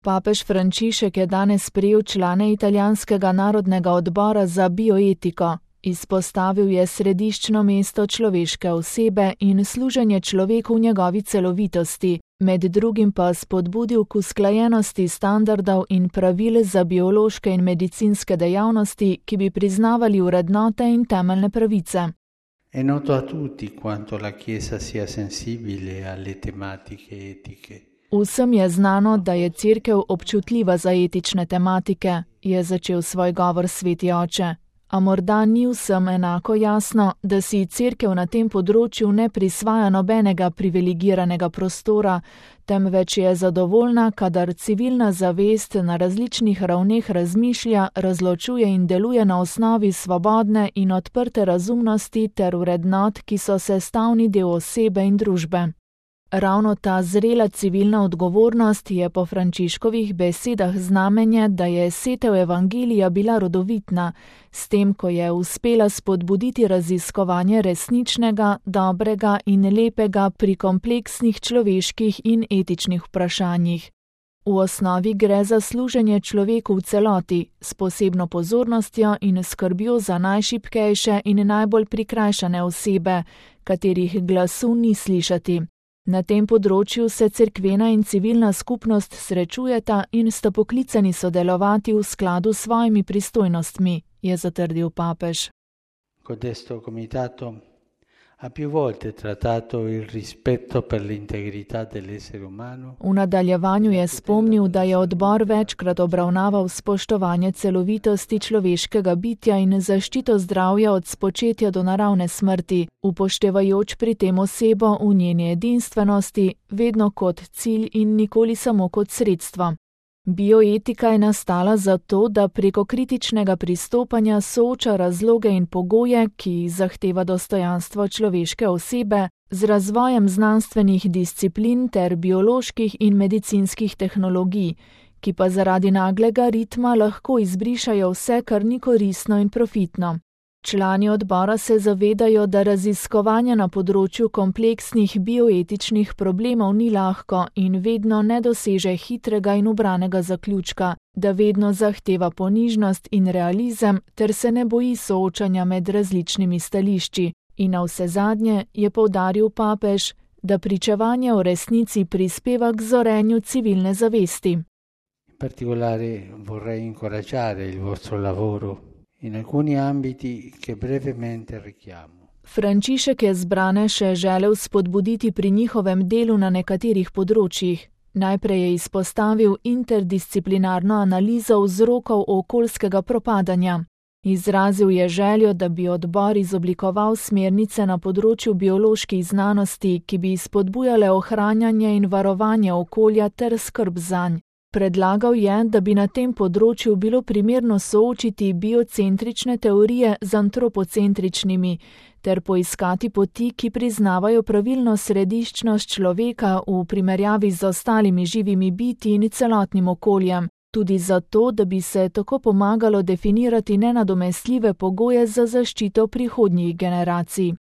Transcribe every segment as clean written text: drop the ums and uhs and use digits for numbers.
Papež Frančišek je danes sprejel člane italijanskega narodnega odbora za bioetiko. Izpostavil je središčno mesto človeške osebe in služenje človeku v njegovi celovitosti, med drugim pa spodbudil k usklajenosti standardov in pravil za biološke in medicinske dejavnosti, ki bi priznavali vrednote in temeljne pravice. È noto a tutti quanto la Chiesa sia sensibile alle tematiche etiche. Vsem je znano, da je Cerkev občutljiva za etične tematike, je začel svoj govor sveti oče. A morda ni vsem enako jasno, da si Cerkev na tem področju ne prisvaja nobenega privilegiranega prostora, temveč je zadovoljna, kadar civilna zavest na različnih ravneh razmišlja, razločuje in deluje na osnovi svobodne in odprte razumnosti ter vrednot, ki so sestavni del osebe in družbe. Ravno ta zrela civilna odgovornost je po Frančiškovih besedah znamenje, da je setev evangelija bila rodovitna, s tem, ko je uspela spodbuditi raziskovanje resničnega, dobrega in lepega pri kompleksnih človeških in etičnih vprašanjih. V osnovi gre za služenje človeku v celoti, s posebno pozornostjo in skrbjo za najšibkejše in najbolj prikrajšane osebe, katerih glasu ni slišati. Na tem področju se cerkvena in civilna skupnost srečujeta in sta poklicani sodelovati v skladu s svojimi pristojnostmi, je zatrdil papež. Codesto comitato ha più volte trattato il rispetto per l'integrità dell'essere umano. V nadaljevanju je spomnil, da je odbor večkrat obravnaval spoštovanje celovitosti človeškega bitja in zaščito zdravja od spočetja do naravne smrti, upoštevajoč pri tem osebo v njeni edinstvenosti, vedno kot cilj in nikoli samo kot sredstvo. Bioetika je nastala zato, da preko kritičnega pristopanja sooča razloge in pogoje, ki jih zahteva dostojanstvo človeške osebe, z razvojem znanstvenih disciplin ter bioloških in medicinskih tehnologij, ki pa zaradi naglega ritma lahko izbrišajo vse, kar ni koristno in profitno. Člani odbora se zavedajo, da raziskovanje na področju kompleksnih bioetičnih problemov ni lahko in vedno ne doseže hitrega in ubranega zaključka, da vedno zahteva ponižnost in realizem ter se ne boji soočanja med različnimi stališči. In navsezadnje je poudaril papež, da pričevanje o resnici prispeva k zorenju civilne zavesti. In particolare vorrei incoraggiare il vostro lavoro in alcuni ambiti che brevemente richiamo. Frančišek je zbrane še želel spodbuditi pri njihovem delu na nekaterih področjih. Najprej je izpostavil interdisciplinarno analizo vzrokov okoljskega propadanja. Izrazil je željo, da bi odbor izoblikoval smernice na področju bioloških znanosti, ki bi spodbujale ohranjanje in varovanje okolja ter skrb zanj. Predlagal je, da bi na tem področju bilo primerno soočiti biocentrične teorije z antropocentričnimi ter poiskati poti, ki priznavajo pravilno središčnost človeka v primerjavi z ostalimi živimi bitji in celotnim okoljem, tudi zato, da bi se tako pomagalo definirati nenadomestljive pogoje za zaščito prihodnjih generacij.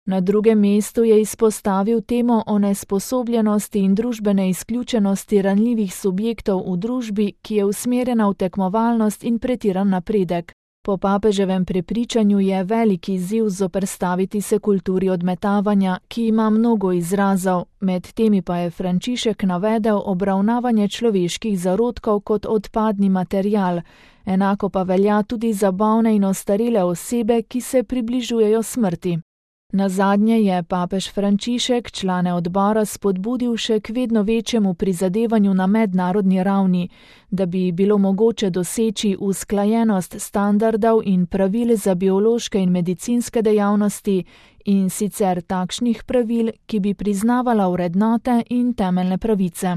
Na drugem mestu je izpostavil temo o nesposobljenosti in družbene izključenosti ranljivih subjektov v družbi, ki je usmerjena v tekmovalnost in pretiran napredek. Po papeževem prepričanju je velik izziv zoperstaviti se kulturi odmetavanja, ki ima mnogo izrazov, med temi pa je Frančišek navedel obravnavanje človeških zarodkov kot odpadni material, enako pa velja tudi za bolne in ostarele osebe, ki se približujejo smrti. Nazadnje je papež Frančišek člane odbora spodbudil še k vedno večjemu prizadevanju na mednarodni ravni, da bi bilo mogoče doseči usklajenost standardov in pravil za biološke in medicinske dejavnosti in sicer takšnih pravil, ki bi priznavala vrednote in temeljne pravice.